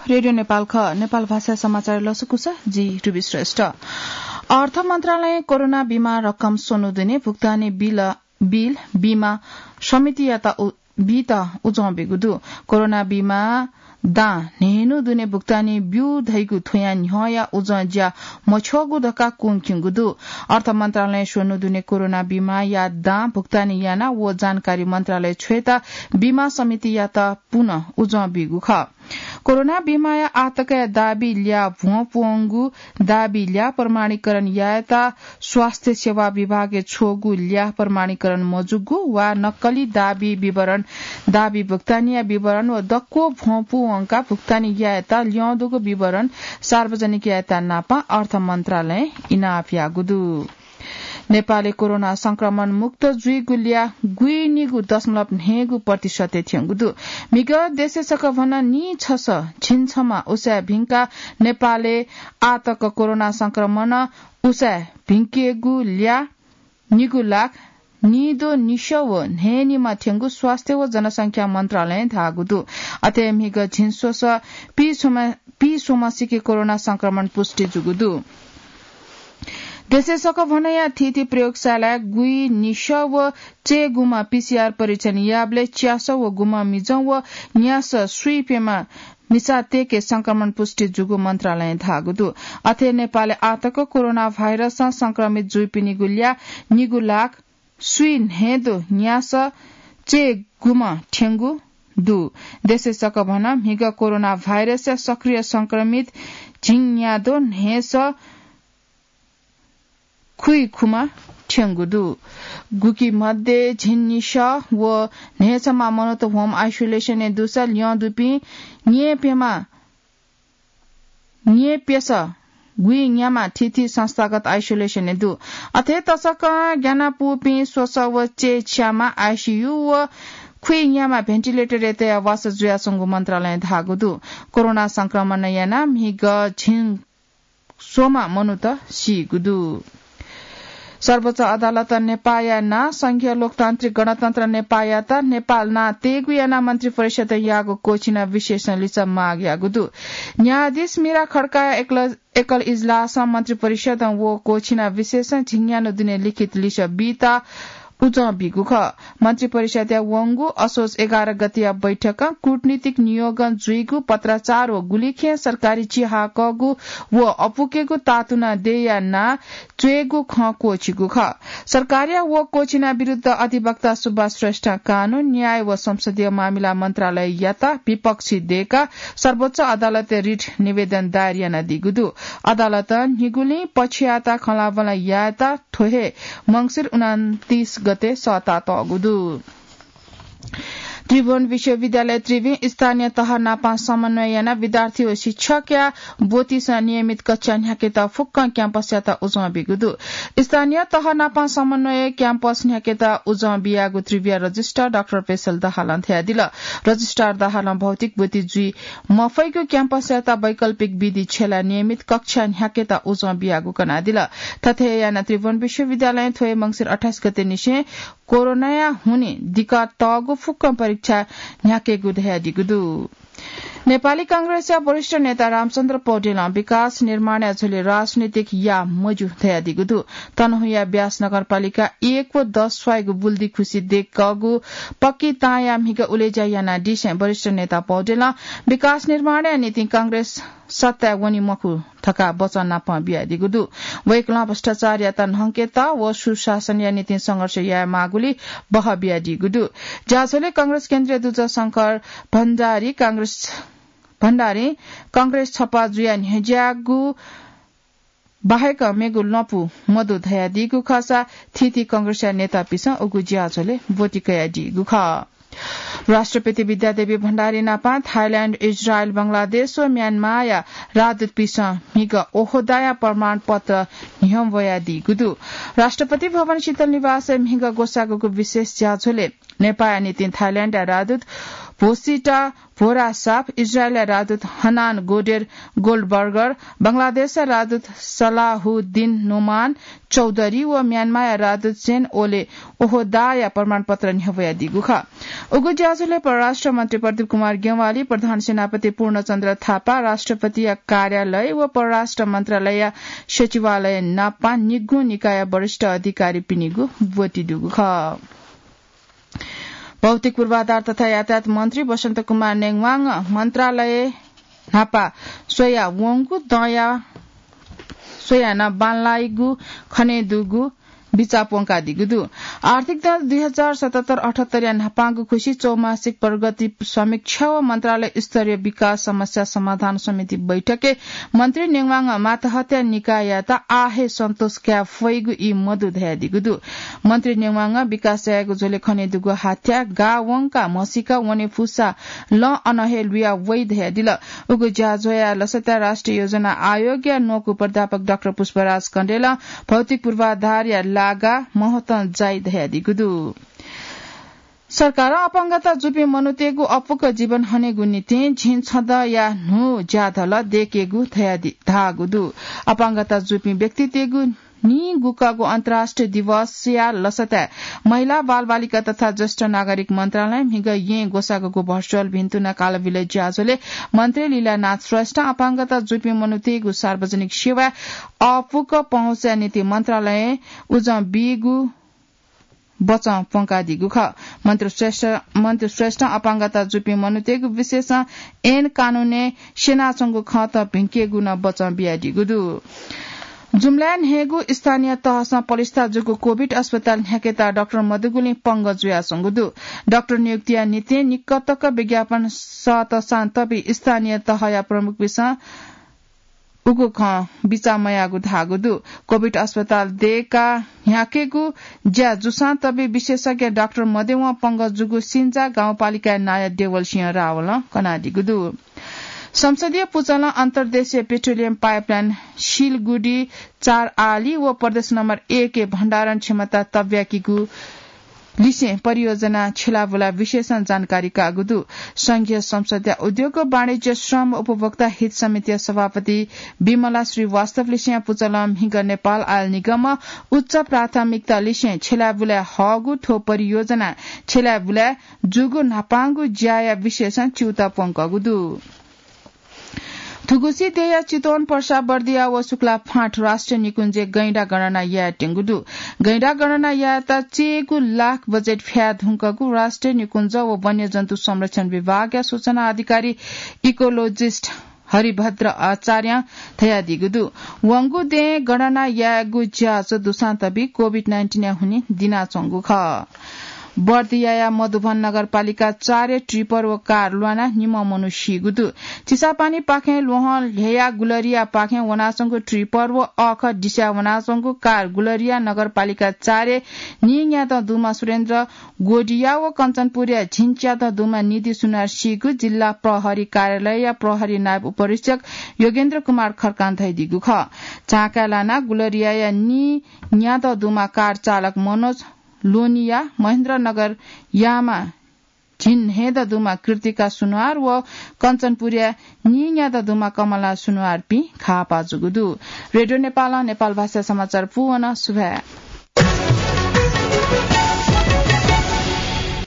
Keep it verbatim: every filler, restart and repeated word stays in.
रेडियो नेपाल ख, नेपाल भाषा समाचार लसकुस, जि रुबी श्रेष्ठ। अर्थ मन्त्रालयं कोरोना बिमा रकम स्वन्हु दुने भुक्तानी बिल, बिल बिमा समितियात उ-, बीत उजं बीगु दु। कोरोना बिमा दां न्हय्‌न्हु दुने भुक्तानी ब्यू धइगु थ्वयां न्ह्यःया उजं ज्या मछ्यःगु धकाः क्वंक्यंगु दु। अर्थ मन्त्रालयं स्वन्हु दुने कोरोना बिमाया दां भुक्तानी याना व जानकारी मन्त्रालय छ्वयेत बिमा समितियात पुनः उजं बीगु खः। कोरोना बिमाया आतकया दाबी ल्याः भ्वं पूवंगु दाबी ल्याः प्रमाणीकरण यायेत स्वास्थ्य सेवा विभागय् छ्वःगु ल्याः प्रमाणीकरण मजूगु वा नक्कली दाबी विवरण, दाबी भुक्तानीया विवरण व दक्व भ्वं पूवंका भुक्तानी यायेत ल्यं दुगु विवरण सार्वजनिक यायेत नापं अर्थ मन्त्रालयं इनाप याःगु दु। नेपालय् कोरोना संक्रमण मुक्त जुइगु ल्याः गुइनिगू दशमलव न्हय्‌गू प्रतिशतय् थ्यंगु दु। म्हिगः देशय् सकभनं नीछसः झिंछम्ह उसाँय् भिंकाः नेपालय् आःतक कोरोना संक्रमण उसाँय् भिंकेगु ल्याः निगू लाख निदँ निसः व न्हय्‌निम्ह थ्यंगु स्वास्थ्य व जनसंख्या मन्त्रालयं धाःगु दु। अथे म्हिगः झिंस्वसः पीस्वम्ह, पीस्वम्ह सिके कोरोना संक्रमण पुष्टि जूगु दु। देशय् सकभनया थीथी प्रयोगशालाय् गुइनिसः व चय्‌गुम्ह पीसीआर परीक्षण याःबलय् च्यासः व गुम्ह मिजं व न्यासः स्वीप्यम्ह मिसातय्‌के संक्रमण पुष्टि जूगु मन्त्रालयं धाःगु दु। अथे नेपालय् आःतक कोरोना भाइरसं संक्रमित जूपिनिगु ल्याः निगू लाख स्वीन्हय्‌दँ न्यासः चय्‌गुम्ह थ्यंगु दु। देशय् सकभनं म्हिगः कोरोना भाइरसया सक्रिय संक्रमित झिंन्यादँ न्हय्‌सः खुइखुम्ह थ्यंगु दु। गुकी मध्ये झिंनिसः व न्हय्‌छम्ह मनूत home isolation-य् दुसा ल्यं दुपिं न्येप्यम्ह न्येप्यसः गुइन्याम्ह थीथी संस्थागत isolation-य् दु। अथे तसकं ग्यानापूपिं स्वसः व चय्‌छ्याम्ह आईसीयू व खुइन्याम्ह ventilator-य् तयाः वासः जुयाच्वंगु मन्त्रालयं धाःगु दु। कोरोना संक्रमणं यानाः म्हिगः झिंस्वम्ह मनूत सीगु दु। सर्वोच्च अदालतं नेपाःया नां संघीय लोकतान्त्रिक गणतन्त्र नेपाःयात नेपाः नां तयेगु यानाः मन्त्रिपरिषदं याःगु क्वःछिना विशेषं लिसः माग याःगु दु। न्यायाधीश मीरा खड्काया एकल, एकल इजलासं मन्त्रिपरिषदं व क्वःछिना विशेषं झिंन्यान्हु दुने लिखित लिसः बीत उजं बीगु खः। मन्त्रिपरिषदया वंगु असोज एघार गतेया बैठकं कूटनीतिक नियोगं जुइगु पत्राचार व गुलिखें सरकारी चिहाकःगु व अपुकेगु तातुना देय्‌या नां च्वयेगु खँ क्वःछिगु खः। सरकारया व क्वःछिना विरुद्ध अधिवक्ता सुभाष श्रेष्ठं कानून, न्याय व संसदीय मामिला मन्त्रालययात विपक्षी दय्‌काः सर्वोच्च अदालतय् रिट निवेदन दायर यानादीगु दु। अदालतं निगुलिं पक्षयात खँल्हाबल्हा यायेत थ्व हे मंसिर उनन्तीस गते सःतातःगु दु। त्रिभुवन विश्वविद्यालय त्रिभुवन स्थानीय तह नाप समन्वय यानाः विद्यार्थी व शिक्षकया ब्वतिसं नियमित कक्षा न्ह्याकेत फुक्क क्याम्पसयात उजं बीगु दु। स्थानीय तह नाप समन्वय क्याम्पस न्ह्याकेत उजं बियागु त्रिभुवनया रजिस्ट्रार डाक्टर पेशल दाहालं धयादिल। रजिस्ट्रार दाहालं भौतिक ब्वति जुइ मफइगु क्याम्पसयात वैकल्पिक विधि छ्यलाः नियमित कक्षा न्ह्याकेत उजं बियागु कनादिल। थथे यानाः त्रिभुवन विश्वविद्यालयं थ्व हे मंसिर अट्ठाइस गते निसें कोरोनाया हुनिं दिकातःगु फुक्क परीक्षा न्ह्याकेगु धयादीगु दु। नेपाली कांग्रेसया वरिष्ठ नेता रामचन्द्र पौडेलं विकास निर्माणया झ्वलय् राजनीतिक याः मज्यू धयादीगु दु। तनहुँया ब्यास नगरपालिका एक व दस स्वाइगु बुल्दी खुसी दय्‌कःगु पक्की तांया म्हिगः उलेज्या यानादिसें वरिष्ठ नेता पौडेलं विकास निर्माणया निंतिं कांग्रेस सत्ताय् वनी मखु धकाः वचन नाप बियादीगु दु। वय्‌कलं भ्रष्टाचारयात न्हंकेत व सुशासनया निंतिं संघर्ष यायेमाःगुली बहः बियादीगु दु। ज्याझ्वलय् कांग्रेस केन्द्रीय दुजः शंकर भण्डारी कांग्रेस, भण्डारी कांग्रेस छपा जुयाः न्ह्यज्याःगु बाहेक मेगु लँपु मदु धयादीगु खःसा थीथी कांग्रेसया नेतापिसं उगु ज्याझ्वलय् ब्वति कयादीगु खः। राष्ट्रपति विद्यादेवी भण्डारी नाप थाइल्याण्ड, इजरायल, बंगलादेश व म्यानमारया राजदूतपिसं म्हिगः ओहदाया प्रमाणपत्र न्ह्यब्वयादीगु दु। राष्ट्रपति भवन शीतल निवासय् म्हिगः ग्वसाःगु विशेष ज्याझ्वलय् नेपाःया निंतिं थाइल्याण्डया राजदूत भोसिटा भोरासाप, इजरायलया राजदूत हनान गोडेर गोल्डबर्गर, बंगलादेशया राजदूत सलाहुद्दीन नोमान चौधरी व म्यानमाःया राजदूत सेन ओले ओहोदाया प्रमाणपत्र न्ह्यब्वयादीगु खः। उगु ज्याझ्वलय् परराष्ट्र मन्त्री प्रदीप कुमार ज्ञवाली, प्रधान सेनापति पूर्णचन्द्र थापा, राष्ट्रपतिया कार्यालय व परराष्ट्र मन्त्रालयया सचिवालय नापं निगू निकायया वरिष्ठ अधिकारीपिनिगु ब्वति दुगु खः। भौतिक पूर्वाधार तथा यातायात मन्त्री बसन्त कुमार नेङवाङ मन्त्रालय न्हापा स्वया वंगु दँया स्वयाः नं बांलाइगु खने दुगु बिचाः प्वंकादीगु दु। आर्थिक दँ दुई हजार सतहत्तर अठहत्तरया न्हापांगु खुसी चौमासिक प्रगति समीक्षा व मन्त्रालय स्तरीय विकास समस्या समाधान समिति बैठकय् मन्त्री नेङवाङं माताहत्या निकाययात आः हे सन्तोष काये फइगु ई मदु धयादीगु दु। मन्त्री नेङवाङं विकास यायेगु झ्वलय् खने दुगु हाथ्या गाः वंकाः म्हसीका वने फुसा लं अन हे लुया वइ धयादिल। उगु ज्याझ्वःया लसताय् राष्ट्रिय योजना आयोगया न्वकू प्राध्यापक डाक्टर पुष्पराज कण्डेलं भौतिक पूर्वाधारया लागा महत्वं जाइ धयादीगु दु। सरकारं अपाङ्गता जूपिं मनूतय्गु अपुक जीवन हनेगु निंतिं झिंछदँया न्हू ज्याधल दय्केगु धयादि-, धाःगु दु। अपाङ्गता जूपिं व्यक्तितय्गु नीगुकागु अन्तर्राष्ट्रिय दिवसया लसताय् महिला, बालबालिका तथा ज्येष्ठ नागरिक मन्त्रालयं म्हिगः येँ ग्वसाःगु भर्चुअल भिन्तुना कालबिल ज्याझ्वलय् मन्त्री लीलानाथ श्रेष्ठं अपाङ्गता जूपिं मनूतय्गु सार्वजनिक सेवाय् अपुक पहुँचया निंतिं मन्त्रालयं उजं बीगु बचं प्वंकादीगु खः। मन्त्री श्रेष्ठ, मन्त्री श्रेष्ठं अपाङ्गता जूपिं मनूतय्गु विशेषं ऐन कानूनय् स्यनाच्वंगु खँत भिंकेगु नं बचं बियादीगु दु। जुम्लाय् न्हय्गू स्थानीय तहसं पलिस्था जूगु कोभिड अस्पताल न्ह्याकेत डाक्टर मदुगुलिं पंगः जुयाच्वंगु दु। डाक्टर नियुक्तिया निंतिं निक्कतक विज्ञापन सःतसां तबि स्थानीय तहया प्रमुखपिन्सं उगु खँ बिचाः मयाःगु धाःगु दु। कोभिड अस्पताल दय्काः न्ह्याकेगु ज्या जूसां तबि विशेषज्ञ डाक्टर मदय्वं पंगः जूगु सिन्जा गाउँपालिकाया नायः देवल सिंह रावलं कनादीगु दु। संसदीय पुचलं अन्तर्देशीय पेट्रोलियम पाइपलाइन सिलगुडी चार आली व प्रदेश नम्बर एकय् भण्डारण क्षमता तब्याकीगु लिसें परियोजना छ्यलाबुला विशेषं जानकारी काःगु दु। संघीय संसदया उद्योग, वाणिज्य, श्रम, उपभोक्ता हित समितिया सभापति विमला श्रीवास्तवलिसें पुचलं म्हिगः नेपाल आयल निगमं उच्च प्राथमिकता लिसें छ्यलाबुलाय् हःगु थ्व परियोजना छ्यलाबुलाय् जूगु न्हापांगु ज्याया विशेषं च्यूताः प्वंकःगु दु। थुगुसी देय्या चितवन, पर्सा, बर्दिया व शुक्ला फाँट राष्ट्रिय निकुञ्जय् गैंडा गणना यायेत्यंगु दु। गैंडा गणना यायेत चय्गू लाख बजेट फ्याये धुंकूगु राष्ट्रिय निकुञ्ज व वन्यजन्तु संरक्षण विभागया सूचना अधिकारी इकोलोजिस्ट हरिभद्र आचार्यं धयादीगु दु। वंगु देय् गणना यायेगु ज्याझ्वः दुसां तबि कोभिड नाइन्टिनया हुनिं दिनाच्वंगु खः। बर्दियाया मधुबन नगरपालिका चारय् ट्रिपर व कार ल्वानाः निम्ह मनू सीगु दु। चिसापानीपाखें ल्वहं ल्ह्ययाः गुलरियापाखें वनाच्वंगु ट्रिपर व अःखः दिस्याः वनाच्वंगु कार गुलरिया नगरपालिका चारय् नीन्यादँ दुम्ह सुरेन्द्र गोडिया व कञ्चनपुरया झिंच्यादँ दुम्ह निधि सुनार सीगु जिल्ला प्रहरी कार्यालयया प्रहरी नायब उपरीक्षक योगेन्द्र कुमार खड्कां धयादीगु खः। झाँकाय् लानाः गुलरियाया नीन्यादँ दुम्ह कार चालक मनोज लोनिया, महेन्द्रनगर यामा झिंन्हय्दँ दुम्ह कृतिका सुनवार व कञ्चनपुरया नीन्यादँ दुम्ह कमला सुनवारपिं घाःपाः जूगु दु। रेडियो नेपालं नेपाल भाषा समाचार पूवन सुभाय्।